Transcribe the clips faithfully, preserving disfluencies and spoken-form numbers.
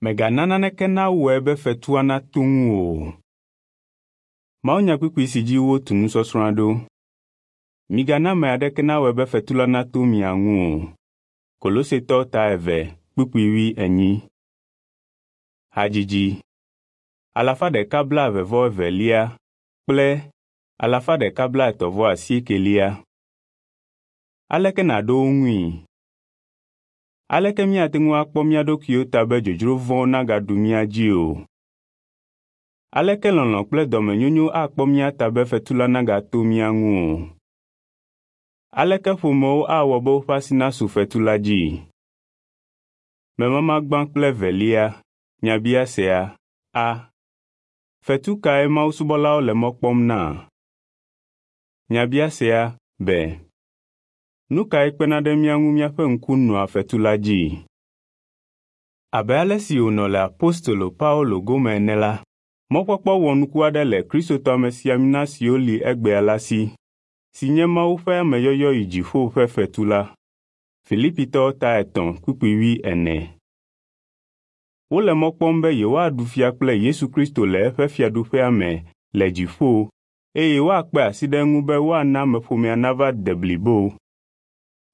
Mègana naneke nawɔe be fetua nato ŋuwò o. Mawunyakpukpui si dzi wotu nusɔsrɔ̃a ɖo. Migana ame aɖeke nawɔe be fetu la nato mia ŋu o. Kolosetɔ ta eve kpukpui wui enyi. Hadzidzi alafa ɖeka blaeve vɔ evelia kple alafa ɖeka blaetɔ̃ vɔ asiekelia. Aleke nàɖo wo ŋui? Aleke míate ŋu akpɔ mía ɖokuiwo ta be dzodzro vɔ̃wo nagaɖu mía dzi o? Aleke lɔlɔ̃ kple dɔmenyonyo akpɔ mía ta be fetu la nagato mía ŋu o? Aleke ƒomewo awɔ be woƒe asi nasu fetu la dzi? Memama gbã kple evelia nyabiasea a. Fetu kae mawusubɔlawo le mɔ kpɔm na? Nyabiasea b. Nu kae kpena ɖe mía ŋu míaƒe ŋku nɔa fetu la dzi? Abe ale si wònɔ le apostolo Paulo gome ene la, mɔkpɔkpɔ wɔnuku aɖe le Kristotɔ amesiamina siwo li egbea la si, si nye Mawu ƒe ameyɔyɔ yi dziƒo ƒe fetu la. Filipitɔwo ta etɔ̃ kpukpui wui ene. Wole mɔ kpɔm be yewoaɖu fia kple Yesu Kristo le eƒe fiaɖuƒea me le dziƒo eye woakpe asi ɖe eŋu be woana ameƒomea nava de blibo.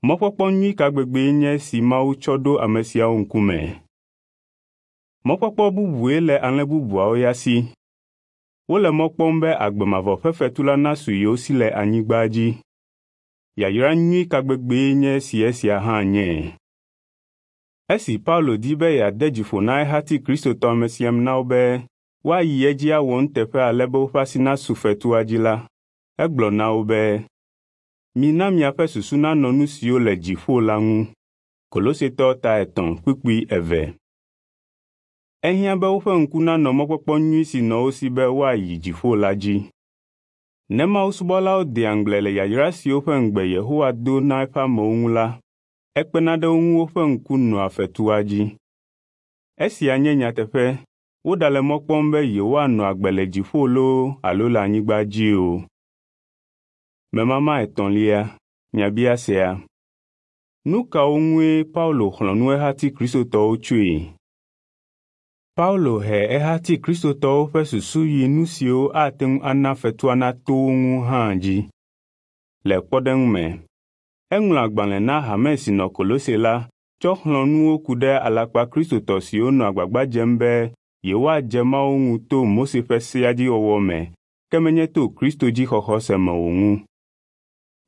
Mɔkpɔkpɔ nyui ka gbegbee nye esi Mawu tsɔ ɖo ame siawo ŋkume. Mɔkpɔkpɔ bubue le alẽ bubuawo ya si. Wole mɔ kpɔm be agbe mavɔ ƒe fetu la nasu yewo si le anyigba dzi. Yayra nyui ka gbegbee nye esi esia hã nye. Esi Paulo di be yeade dzi ƒo na ehati Kristotɔ amesiaminawo be woayi edzi awɔ nuteƒe ale be woƒe asi nasu fetua dzi la, egblɔ na wo be, “Mina miaƒe susu nanɔ nu siwo le dziƒo la ŋu.” Kolosetɔ ta etɔ̃ kpukpui eve. Ehiã be woƒe ŋku nanɔ mɔkpɔkpɔ nyui si nɔ wo si be woayi dziƒo la dzi. Ne mawusubɔlawo dea ŋugble le yayra siwo ƒe ŋugbe Yehowa do na eƒe amewo ŋu la, ekpena ɖe wo ŋu woƒe ŋku nɔa fetua dzi. Esia nye nyateƒe, woɖale mɔ kpɔm be yewoanɔ agbe le dziƒo loo alo le anyigba dzi o. Memama etɔ̃lia nyabiasea. Nu kawo ŋue Paulo xlɔ̃ nu ehati Kristotɔwo tsoe? Paulo he ehati Kristotɔwo ƒe susu yi nu siwo ate ŋu ana fetua nato wo ŋu hã dzi. Le kpɔɖeŋu me, eŋlɔ agbalẽ na hame si nɔ Kolose la tsɔ xlɔ̃ nu wo ku ɖe alakpa Kristotɔ siwo nɔ agbagba dzem be yewoadze Mawu ŋu to Mose ƒe sea dzi wɔwɔ me, ke menye to Kristo dzi xɔxɔ se me o ŋu.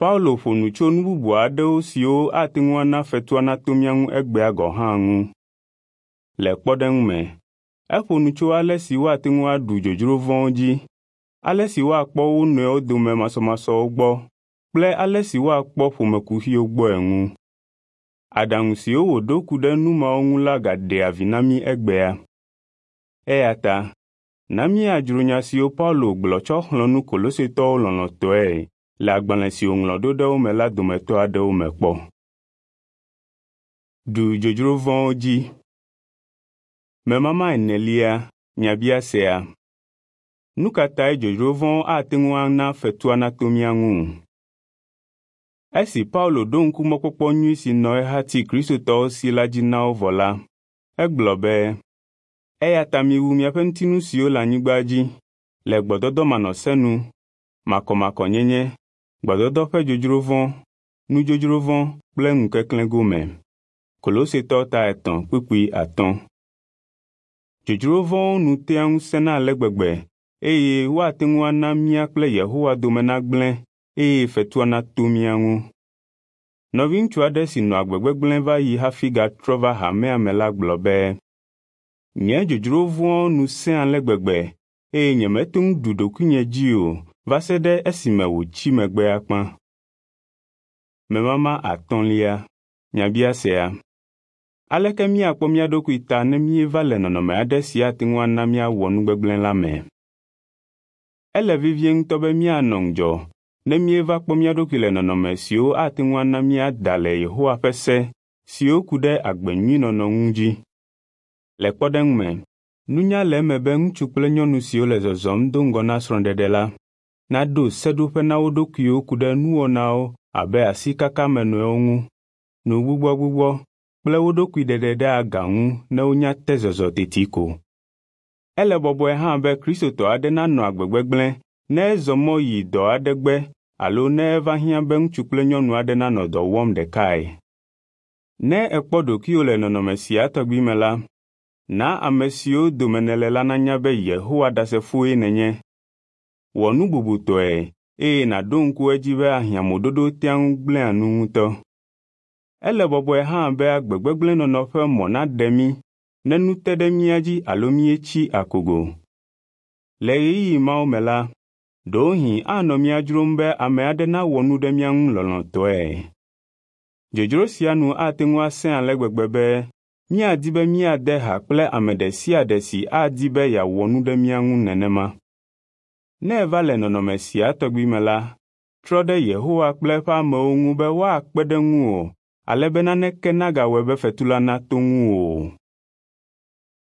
Paulo ƒo nu tso nu bubu aɖewo siwo ate ŋu ana fetua nato mía ŋu egbea gɔ̃ hã ŋu. Le kpɔɖeŋu me, eƒo nu tso ale si woate ŋu aɖu dzodzro vɔ̃wo dzi, ale si woakpɔ wo nɔewo dome masɔmasɔwo gbɔ kple ale si woakpɔ ƒomekuxiwo gbɔe ŋu. Aɖaŋu siwo wòɖo ku ɖe nu mawo ŋu la gaɖea vi na mí egbea. Eya ta na míadzro nya siwo Paulo gblɔ tsɔ xlɔ̃ nu Kolosetɔwo lɔlɔ̃tɔe le agbalẽ si wòŋlɔ ɖo ɖe wo me la dometɔ aɖewo me kpɔ. Ɖu dzodzro vɔ̃wo dzi. Memama enelia nyabiasea. Nu ka tae dzodzro vɔ̃wo ate ŋu ana fetua nato mía ŋu? Esi Paulo ɖo ŋku mɔkpɔkpɔ nyui si nɔ ehati Kristotɔwo si la dzi na wo vɔ la, egblɔ be, “Eya ta miwu miaƒe ŋutinu siwo le anyigba dzi le gbɔdɔdɔ manɔsenu, makɔmakɔnyenye, gbɔdɔdɔ ƒe dzodzro vɔ̃, nudzodzro vɔ̃ kple ŋukeklẽ gome.” Kolosetɔ ta etɔ̃ kpukpui atɔ̃. Dzodzro vɔ̃wo nu tea ŋu sẽna ale gbegbe eye woate ŋu ana mía kple Yehowa dome nagblẽ eye fetua nato mía ŋu. Nɔviŋutsu aɖe si nɔ agbe gbegblẽ va yi hafi gatrɔ va hamea me la gblɔ be, “Nye dzodzro vɔ̃wo nu sẽ ale gbegbe eye nyemete ŋu ɖu ɖokuinye dzi o va se ɖe esime wòtsi megbe akpa.” Memama atɔ̃lia nyabiasea. Aleke míakpɔ mía ɖokui ta ne míeva le nɔnɔme aɖe si ate ŋu ana míawɔ nu gbegblẽ la me? Ele vevie ŋutɔ be míanɔ ŋudzɔ ne míeva kpɔ mía ɖokui le nɔnɔme siwo ate ŋu ana míada le Yehowa ƒe se siwo ku ɖe agbe nyui nɔnɔ ŋu dzi. Le kpɔɖeŋu me, nunya le eme be ŋutsu kple nyɔnu siwo le zɔzɔm do ŋgɔ na srɔ̃ɖeɖe la naɖo seɖoƒe na wo ɖokuiwo ku ɖe nuwɔnawo abe asikaka ame nɔewo ŋu, nugbugbɔgbugbɔ, kple wo ɖokui ɖeɖe ɖe aga ŋu ne wonya te zɔzɔ teti ko. Ele bɔbɔe hã be Kristotɔ aɖe nanɔ agbe gbegblẽ ne ezɔ mɔ yi dɔ aɖe gbe alo ne eva hiã be ŋutsu kple nyɔnu aɖe nanɔ dɔ wɔm ɖekae. Ne èkpɔ ɖokuiwò le nɔnɔme sia tɔgbi me la, na ame siwo dome nèle la nanya be Yehowa Ɖasefoe nènye. Wɔ nu bubutɔe eye nàɖo ŋku edzi be ahiãmoɖoɖo tea ŋu gblẽa nu ŋutɔ. Ele bɔbɔe hã be agbe gbegblẽ nɔnɔ ƒe mɔ naɖe mí ne nu te ɖe mía dzi alo míetsi akogo. Le ɣeyiɣi mawo me la, ɖewohĩ anɔ mía dzrom be ame aɖe nawɔ nu ɖe mía ŋu lɔlɔ̃tɔe. Dzodzro sia nu ate ŋu asẽ ale gbegbe be míadi be míade ha kple ame ɖe sia ɖe si adi be yeawɔ nu ɖe mía ŋu nenema. Ne èva le nɔnɔme sia tɔgbi me la, trɔ ɖe Yehowa kple eƒe amewo ŋu be woakpe ɖe ŋuwò ale be naneke nagawɔe be fetu la nato ŋuwò o.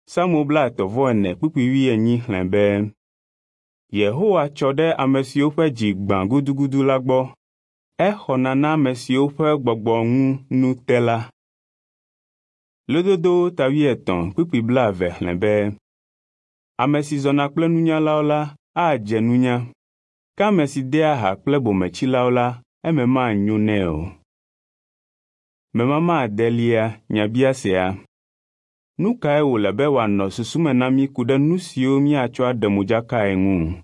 Psalmo blaetɔ̃ vɔ ene kpukpui wuienyi xlẽ be, Yehowa tsɔ ɖe ame siwo ƒe dzi gbã gudugudu la gbɔ. Exɔna na ame siwo ƒe gbɔgbɔ ŋu nu te la. Lododowo ta wuietɔ̃ kpukpui blaeve xlẽ be, Ame si zɔna kple nunyalawo la adze nunya, ke ame si dea ha kple bometsilawo la, eme manyo nɛ o. Memama adelia nyabiasea. Nu kae wòle be wòanɔ susu me na mí ku ɖe nu siwo míatsɔ aɖe modzakae ŋu?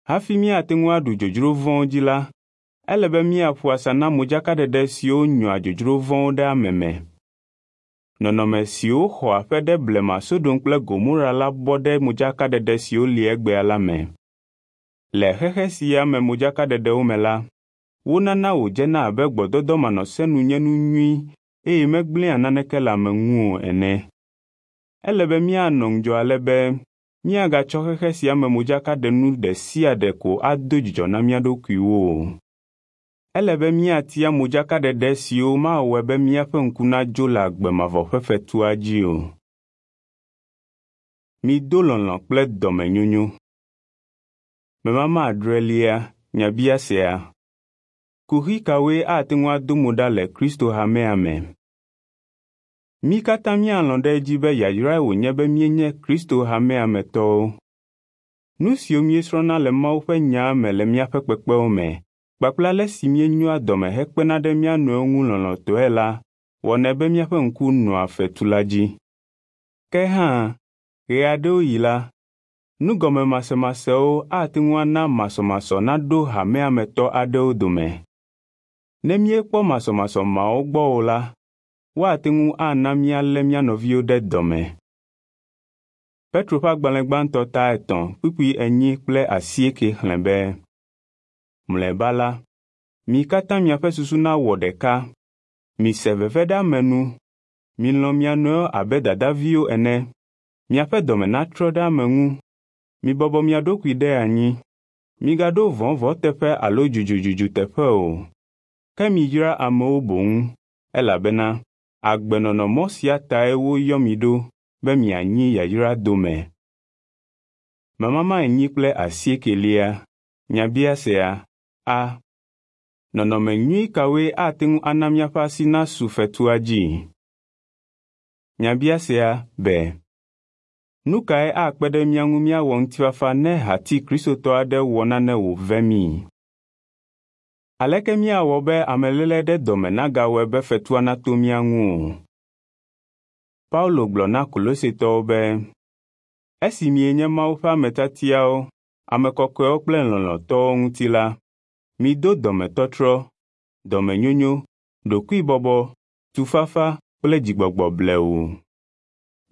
Hafi míate ŋu aɖu dzodzro vɔ̃wo dzi la, ele be míaƒo asa na modzakaɖeɖe siwo nyɔa dzodzro vɔ̃wo ɖe ame me. Nɔnɔme siwo xɔ aƒe ɖe blema Sodom kple Gomora la bɔ ɖe modzakaɖeɖe siwo li egbea la me. Le xexe sia me modzakaɖeɖewo me la, wonana wòdzena abe gbɔdɔdɔ manɔsenu nye nu nyui eye megblẽa naneke le ame ŋu o ene. Ele be míanɔ ŋudzɔ ale be míagatsɔ xexe sia me modzakaɖenu ɖe sia ɖe ko ado dzidzɔ na mía ɖokuiwo o. Ele be míatia modzakaɖeɖe siwo mawɔe be míaƒe ŋku nadzo le agbe mavɔ ƒe fetua dzi o. Mido lɔlɔ̃ kple dɔmenyonyo. Memama adrelia nyabiasea. Kuxi kawoe ate ŋu ado mo ɖa le Kristo hamea me? Mí katã míalɔ̃ ɖe edzi be yayrae wònye be míenye Kristo hamea me tɔwo. Nu siwo míesrɔ̃na le Mawu ƒe nyaa me le míaƒe kpekpewo me kpakple ale si míenyoa dɔme hekpena ɖe mía nɔewo ŋu lɔlɔ̃tɔe la wɔnɛ be míaƒe ŋku nɔa fetu la dzi. Ke hã, ɣeaɖewoɣi la, nugɔmemasemasewo ate ŋu ana masɔmasɔ naɖo hamea me tɔ aɖewo dome. Ne míekpɔ masɔmasɔ mawo gbɔ o la, woate ŋu ana míalé mía nɔviwo ɖe dɔme. Petro ƒe agbalẽ gbãtɔ ta etɔ̃ kpukpui enyi kple asieke xlẽ be, Mlɔeba la, mi katã miaƒe susu nawɔ ɖeka, mise veve ɖe ame nu, milɔ̃ mia nɔewo abe dadaviwo ene, miaƒe dɔme natrɔ ɖe ame ŋu, mibɔbɔ mia ɖokui ɖe anyi, migaɖo vɔ̃ vɔ̃ teƒe alo dzudzudzudu teƒe o, ke miyra amewo boŋ, elabena agbenɔnɔmɔ sia tae woyɔ mi ɖo be mianyi yayra dome. Memama enyi kple asiekelia nyabiasea a. Nɔnɔme nyui kawoe ate ŋu ana míaƒe asi nasu fetua dzi? Nyabiasea be, nu kae akpe ɖe mía ŋu míawɔ ŋutifafa ne hati Kristotɔ aɖe wɔ nane wòve mí? Aleke míawɔ be ameléle ɖe dɔme nagawɔe be fetua nato mía ŋu o? Paulo gblɔ na Kolosetɔwo be, esi mienye Mawu ƒe ame tiatiawo, ame kɔkɔewo kple lɔlɔ̃tɔwo ŋuti la, mido dɔmetɔtrɔ, dɔmenyonyo, ɖokuibɔbɔ, tufafa kple dzigbɔgbɔ blewu.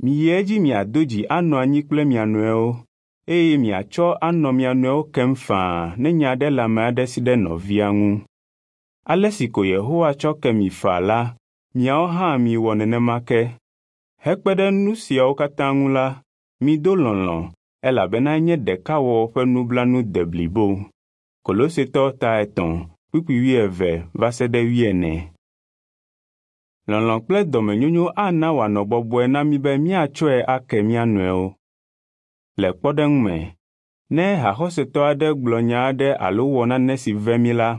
Miyi edzi miado dzi anɔ anyi kple mia nɔewo, eye miatsɔ anɔ mia nɔewo kem faa ne nya aɖe le ame aɖe si ɖe nɔvia ŋu. Ale si ko Yehowa tsɔ ke mi faa la, miawo hã miwɔ nenema ke. Hekpe ɖe nu siawo katã ŋu la, mido lɔlɔ̃, elabena enye ɖekawɔwɔ ƒe nublanu deblibo. Kolosetɔ ta etɔ̃ kpukpui wuieve va se ɖe wuiene. Lɔlɔ̃ kple dɔmenyonyo ana wòanɔ bɔbɔe na mí be míatsɔe ake mía nɔewo. Le kpɔɖeŋu me, ne haxɔsetɔ aɖe gblɔ nya aɖe alo wɔ nane si ve mí la,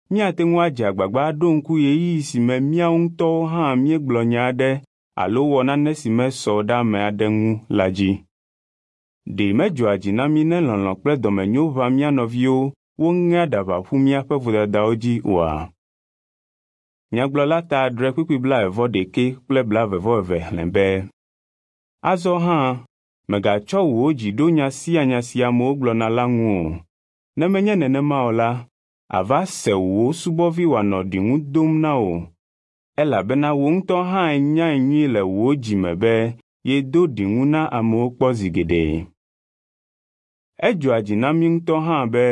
míate ŋu adze agbagba aɖo ŋku ɣeyiɣi si me míawo ŋutɔwo hã míegblɔ nya aɖe alo wɔ nane si mesɔ ɖe ame aɖe ŋu la dzi. Ɖe medzɔa dzi na mí ne lɔlɔ̃ kple dɔmenyo ʋã mía nɔviwo woŋea aɖaba ƒu míaƒe vodadawo dzi oa? Nyagblɔla ta adre kpukpui blaeve-vɔ-ɖekɛ kple blaeve-vɔ-eve xlẽ be, Azɔ hã, mègatsɔ wò dzi ɖo nya sia nya si amewo gblɔna la ŋu o. Ne menye nenema o la, àva se wò subɔvi wòanɔ ɖiŋu dom na wò, elabena wò ŋutɔ hã ènyae nyuie le wò dzi me be yedo ɖiŋu na amewo kpɔ zi geɖe. Edzɔa dzi na mí ŋutɔ hã be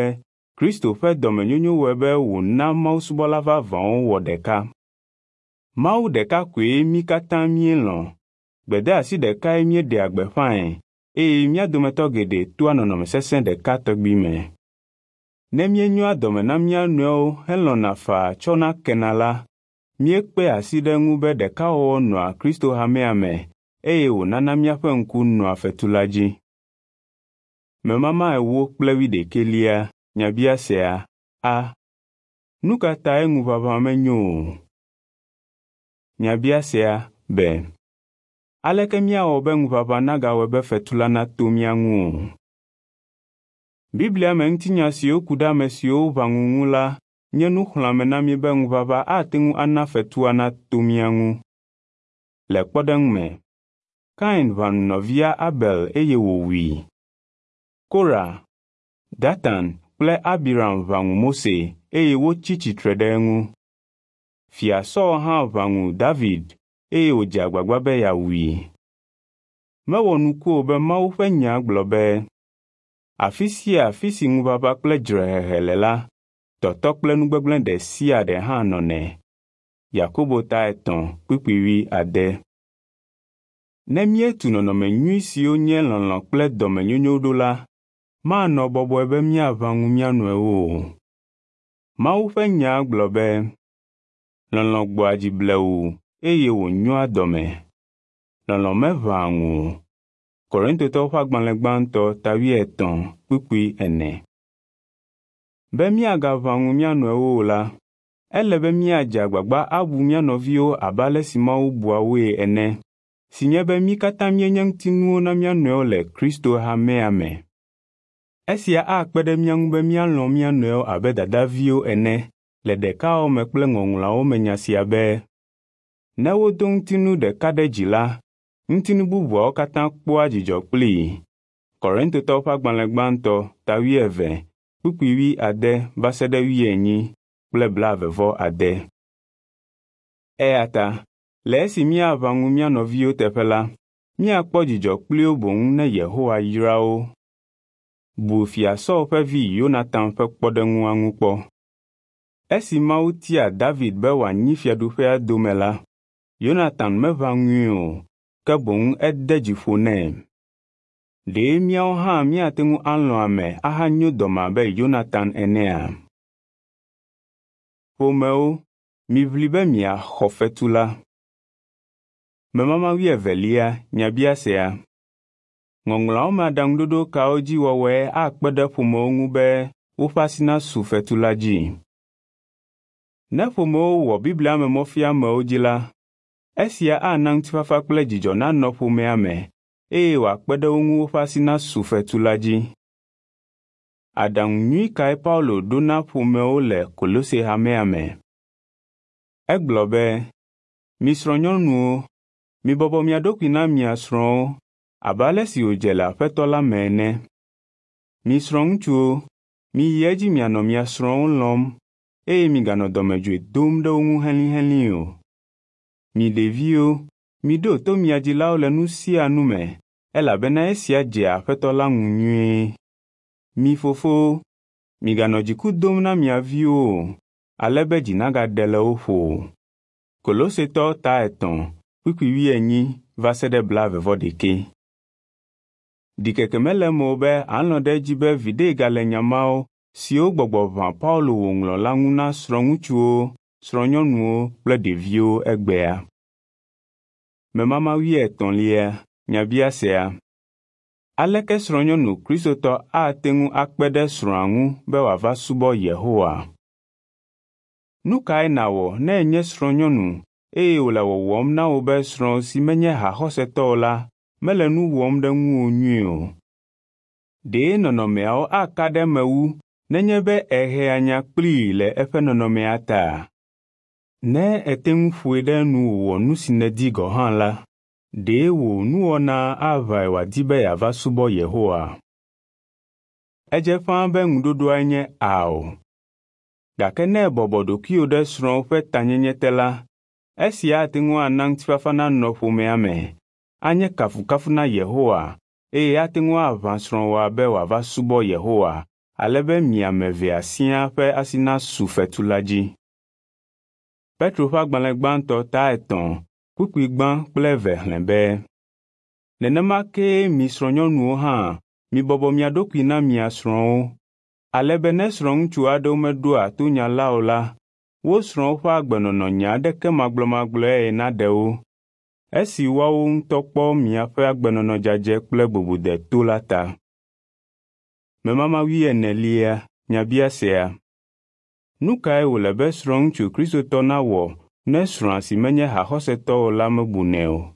Kristo ƒe dɔmenyonyo wɔe be wòna mawusubɔla vavãwo wɔ ɖeka. Mawu ɖeka koe mí katã míelɔ̃. Gbedeasi ɖekae míeɖea gbeƒãe eye mía dometɔ geɖe toa nɔnɔme sesẽ ɖeka tɔgbi me. Ne míenyoa dɔme na mía nɔewo helɔ̃na faa tsɔna kena la, míekpea asi ɖe eŋu be ɖekawɔwɔ nɔa Kristo hamea me eye wònana míaƒe ŋku nɔa fetu la dzi. Memama ewo kple wuiɖekɛlia nyabiasea a. Nu ka tae ŋuʋaʋã menyo o? Nyabiasea b. Aleke míawɔ be ŋuʋaʋã nagawɔe be fetu la nato mía ŋu o? Biblia me ŋutinya siwo ku ɖe ame siwo ʋã ŋu ŋu la nye nuxlɔ̃ame na mí be ŋuʋaʋã ate ŋu ana fetua nato mía ŋu. Le kpɔɖeŋu me, Kain ʋã ŋu nɔvia Abel eye wòwui. Kora, Datan kple Abiram ʋã ŋu Mose eye wotsi tsitre ɖe eŋu. Fia Saul hã ʋã ŋu David eye wòdze agbagba be yeawui. Mewɔ nuku o be Mawu ƒe nya gblɔ be, afi sia afi si ŋuʋaʋã kple dzrehehe le la, tɔtɔ kple nugbegblẽ ɖe sia ɖe hã nɔnɛ. Yakobo ta etɔ̃ kpukpui wuiade. Ne míetu nɔnɔme nyui siwo nye lɔlɔ̃ kple dɔmenyonyo ɖo la, manɔ bɔbɔe be míaʋã ŋu mía nɔewo o. Mawu ƒe nya gblɔ be, lɔlɔ̃ gbɔa dzi blewu eye wònyoa dɔme. Lɔlɔ̃ meʋãa ŋu o. Korintotɔwo ƒe agbalẽ gbãtɔ ta wuietɔ̃ kpukpui ene. Be míagaʋã ŋu mía nɔewo o la, ele be míadze agbagba abu mía nɔviwo abe ale si Mawu bua woe ene, si nye be mí katã míenye ŋutinuwo na mía nɔewo le Kristo hamea me. Esia akpe ɖe mía ŋu be míalɔ̃ mía nɔewo abe dadaviwo ene le ɖekawɔwɔ me kple Ŋɔŋlɔawo me nya sia be, ne wodo ŋutinu ɖeka ɖe dzi la, ŋutinu bubuawo katã kpɔa dzidzɔ kplii. Korintotɔwo ƒe agbalẽ gbãtɔ ta wuieve kpukpui wuiade va se ɖe wuienyi kple blaeve-vɔ-ade. Eya ta le esi míaʋã ŋu mía nɔviwo teƒe la, míakpɔ dzidzɔ kpli wo boŋ ne Yehowa yra wo. Bu Fia Saul ƒe vi Yonatan ƒe kpɔɖeŋua ŋu kpɔ. Esi Mawu tia David be wòanyi fiaɖuƒea dome la, Yonatan meʋã ŋui o, ke boŋ ede dzi ƒo nɛ. Ɖe míawo hã míate ŋu alɔ̃ ame ahanyo dɔme abe Yonatan enea? Ƒomewo, miʋli be miaxɔ fetu la. Memama wuievelia nyabiasea. Ŋɔŋlɔawo me aɖaŋuɖoɖo kawo dzi wɔwɔe akpe ɖe ƒomewo ŋu be woƒe asi nasu fetu la dzi? Ne ƒomewo wɔ Biblia me mɔfiamewo dzi la, esia ana ŋutifafa kple dzidzɔ nanɔ ƒomea me eye wòakpe ɖe wo ŋu woƒe asi nasu fetu la dzi. Aɖaŋu nyui kae Paulo ɖo na ƒomewo le Kolose hamea me? Egblɔ be, mi srɔ̃nyɔnuwo, mibɔbɔ mia ɖokui na mia srɔ̃wo abe ale si wòdze le Aƒetɔ la me ene. Mi srɔ̃ŋutsuwo, miyi edzi mianɔ mia srɔ̃wo lɔ̃m eye miganɔ dɔmedzoe dom ɖe wo ŋu helĩhelĩ o. Mi ɖeviwo, miɖo to mia dzilawo le nu sia nu me, elabena esia dzea Aƒetɔ la ŋu nyuie. Mi fofowo, miganɔ dziku dom na mia viwo o, ale be dzi nagaɖe le wo ƒo o. Kolosetɔwo ta etɔ̃ kpukpui wuienyi va se ɖe blaeve-vɔ-ɖekɛ. Ɖikeke mele eme o be alɔ̃ ɖe edzi be viɖe gale nya mawo siwo gbɔgbɔ ʋã Paulo wòŋlɔ la ŋu na srɔ̃ŋutsuwo, srɔ̃nyɔnuwo kple ɖeviwo egbea. Memama wuietɔ̃lia nyabiasea. Aleke srɔ̃nyɔnu kristotɔ ate ŋu akpe ɖe srɔ̃a ŋu be wòava subɔ Yehowa? Nu kae nàwɔ ne ènye srɔ̃nyɔnu eye wòle wɔwɔm na wò be srɔ̃wò si menye haxɔsetɔ o la mele nu wɔm ɖe ŋuwò nyuie o? Ɖe nɔnɔmeawo aka ɖe eme wu nenye be èhea nya kplii le eƒe nɔnɔmea ta? Ne ète ŋu ƒoe ɖe enu wòwɔ nu si nèdi gɔ̃ hã la, ɖe wò nuwɔna aʋãe wòadi be yeava subɔ Yehowa? Edze ƒãa be ŋuɖoɖoae nye ao. Gake ne èbɔbɔ ɖokuiwò ɖe srɔ̃wò ƒe tanyenye te la, esia ate ŋu ana ŋutifafa nanɔ ƒomea me, anye kafukafu na Yehowa eye ate ŋu aʋã srɔ̃wòa be wòava subɔ Yehowa ale be mi ame evea siaa ƒe asi nasu fetu la dzi. Petro ƒe agbalẽ gbãtɔ ta etɔ̃ kpukpui gbã kple eve xlẽ be, nenema kee mi srɔ̃nyɔnuwo hã mibɔbɔ mia ɖokui na mia srɔ̃wo, ale be ne srɔ̃ŋutsu aɖewo meɖoa to nya la o la, wo srɔ̃wo ƒe agbenɔnɔ nya aɖeke magblɔmagblɔe naɖe wo, esi woawo ŋutɔ kpɔ miaƒe agbenɔnɔ dzadzɛ kple bubudeto la ta. Memama wuienelia nyabiasea. Nu kae wòle be srɔ̃ŋutsu Kristotɔ nawɔ ne srɔ̃a si menye haxɔsetɔ o la mebunɛ o?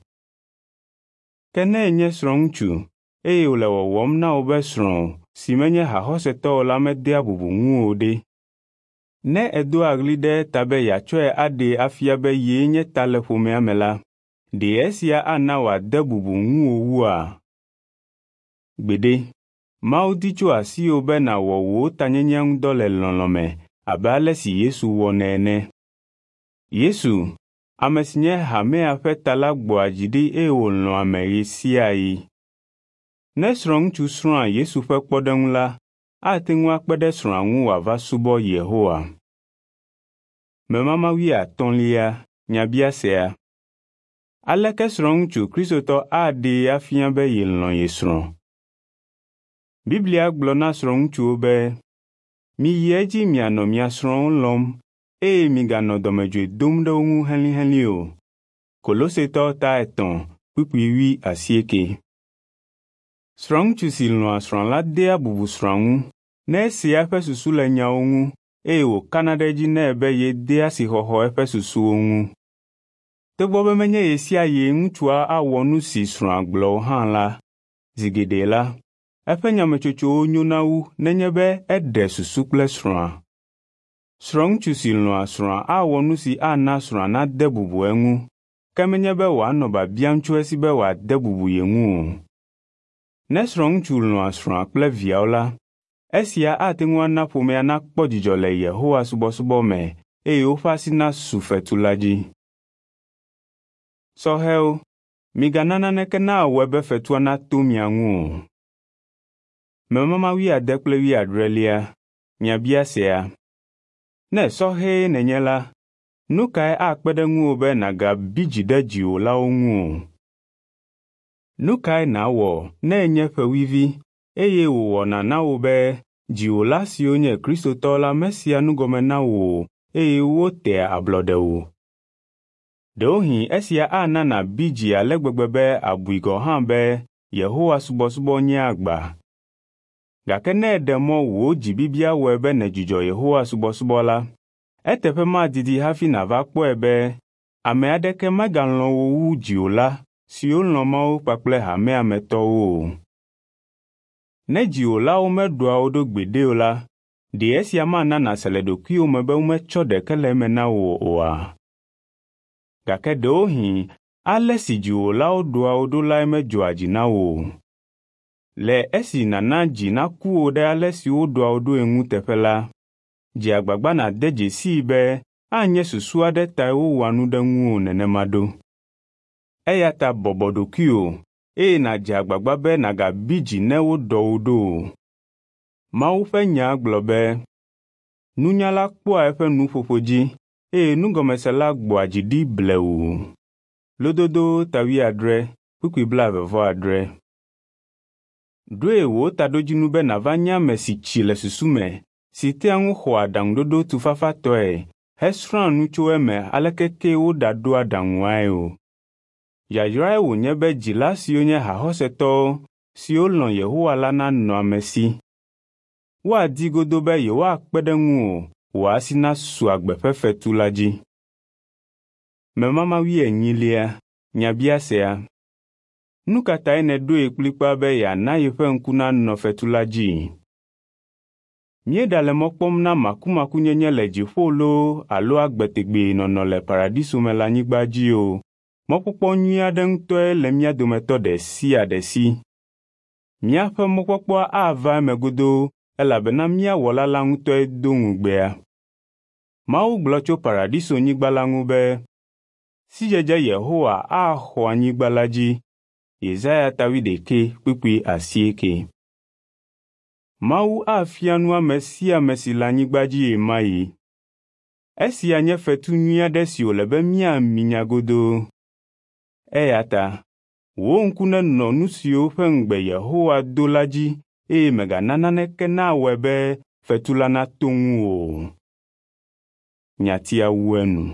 Ke ne ènye srɔ̃ŋutsu eye wòle wɔwɔm na wò be srɔ̃wò si menye haxɔsetɔ o la medea bubu ŋuwò o ɖe? Ne èdoa ɣli ɖe eta be yeatsɔe aɖee afia be yee nye ta le ƒomea me la, ɖe esia ana wòade bubu ŋuwò wua? Gbeɖe, Mawu di tso asiwò be nàwɔ wò tanyenyea ŋu dɔ le lɔlɔ̃ me abe ale si Yesu wɔnɛ ene. Yesu, ame si nye hamea ƒe ta la gbɔa dzi ɖi eye wòlɔ̃a ame ɣe sia ɣi. Ne srɔ̃ŋutsu srɔ̃a Yesu ƒe kpɔɖeŋu la, ate ŋu akpe ɖe srɔ̃a ŋu wòava subɔ Yehowa. Memama wuiatɔ̃lia nyabiasea. Aleke srɔ̃ŋutsu Kristotɔ aɖee afia be yelɔ̃ ye srɔ̃? Biblia gblɔ na srɔ̃ŋutsuwo be, miyi edzi mianɔ mia srɔ̃wo lɔ̃m eye miganɔ dɔmedzoe dom ɖe wo ŋu helĩhelĩ o. Kolosetɔ ta etɔ̃ kpukpui wui asieke. Srɔ̃ŋutsu si lɔ̃a srɔ̃a la dea bubu srɔ̃a ŋu ne esea eƒe susu le nyawo ŋu eye wòkana ɖe edzi nɛ be yedea asixɔxɔ eƒe susuwo ŋu. Togbɔ be menye ɣe sia ɣie ŋutsua awɔ nu si srɔ̃a gblɔ o hã la, zi geɖe la, eƒe nyametsotsowo nyona wu nenye be eɖe susu kple srɔ̃a. Srɔ̃ŋutsu si lɔ̃a srɔ̃a awɔ nu si ana srɔ̃a nade bubu eŋu, ke menye be wòanɔ biabiam tso esi be wòade bubu ye ŋu o. Ne srɔ̃ŋutsu lɔ̃a srɔ̃a kple viawo la, esia ate ŋu ana ƒomea nakpɔ dzidzɔ le Yehowa subɔsubɔ me eye woƒe asi nasu fetu la dzi. Sɔhɛwo, migana naneke nawɔe be fetua nato mia ŋu o. Memama wuiade kple wuiadrelia nyabiasea. Ne sɔhɛe nènye la, nu kae akpe ɖe ŋuwò be nàgabi dzi ɖe dziwòlawo ŋu o? Nu kae nàwɔ ne ènye ƒewuivi eye wòwɔna na wò be dziwòla siwo nye Kristotɔwo la mesea nu gɔme na wò o eye wotea ablɔɖe wò? Ɖewohĩ esia ana nàbi dzi ale gbegbe be àbui gɔ̃ hã be Yehowa subɔsubɔ nye agba. Gake ne èɖe mɔ wò dzibibia wɔe be nèdzudzɔ Yehowa subɔsubɔ la, eteƒe madidi hafi nàva kpɔe be ame aɖeke megalɔ̃ wò wu dziwòla siwo lɔ̃ Mawu kpakple hamea me tɔwo o. Ne dziwòlawo meɖɔa wo ɖo gbeɖe o la, ɖe esia mana nàse le ɖokuiwò me be wometsɔ ɖeke le eme na wò oa? Gake ɖewohĩ ale si dziwòlawo ɖɔa wo ɖo lae medzɔa dzi na wò o. Le esi nàna dzi naku wò ɖe ale si woɖɔa wo ɖoe ŋu teƒe la, dze agbagba nàde dzesii be anye susu aɖe tae wowɔa nu ɖe ŋuwò nenema ɖo. Eya ta bɔbɔ ɖokuiwò eye nàdze agbagba be nàgabi dzi ne woɖɔ wò ɖo o. Mawu ƒe nya gblɔ be, nunyala kpɔa eƒe nuƒoƒo dzi eye nugɔmesela gbɔa dzi ɖi blewu. Lododo ta wuiadre kpukpui blaeve vɔ adre. Ɖoe wò taɖodzinu be nàva nye ame si tsi le susu me, si tea ŋu xɔa aɖaŋuɖoɖo tufafatɔe hesrɔ̃a nu tso eme aleke kee woɖaɖo aɖaŋuae o. Yayrae wònye be dzila siwo nye haxɔsetɔwo siwo lɔ̃ Yehowa la nanɔ ame si. Woadi godoo be yewoakpe ɖe ŋuwò wò asi nasu agbe ƒe fetu la dzi. Memama wuienyilia nyabiasea. Nu ka tae nèɖoe kplikpaa be yeana yeƒe ŋku nanɔ fetu la dzi? Míeɖale mɔ kpɔm na makumakunyenye le dziƒo loo alo agbe tegbee nɔnɔ le paradiso me le anyigba dzi o, mɔkpɔkpɔ nyui aɖe ŋutɔe le mía dometɔ ɖe sia ɖe si. Míaƒe mɔkpɔkpɔa ava eme godoo elabena mía Wɔla la ŋutɔe do ŋugbea. Mawu gblɔ tso paradisonyigba la ŋu be, “Sidzedze Yehowa axɔ anyigba la dzi.” Yesaya ta wuiɖekɛ kpukpui asieke. Mawu afia nu ame sia ame si le anyigba dzi ɣemaɣi. Esia nye fetu nyui aɖe si wòle be míaminya godoo. Eya ta wò ŋku nenɔ nu siwo ƒe ŋugbe Yehowa do la dzi eye mègana naneke nawɔe be fetu la nato ŋuwò o. Nyatia wu enu.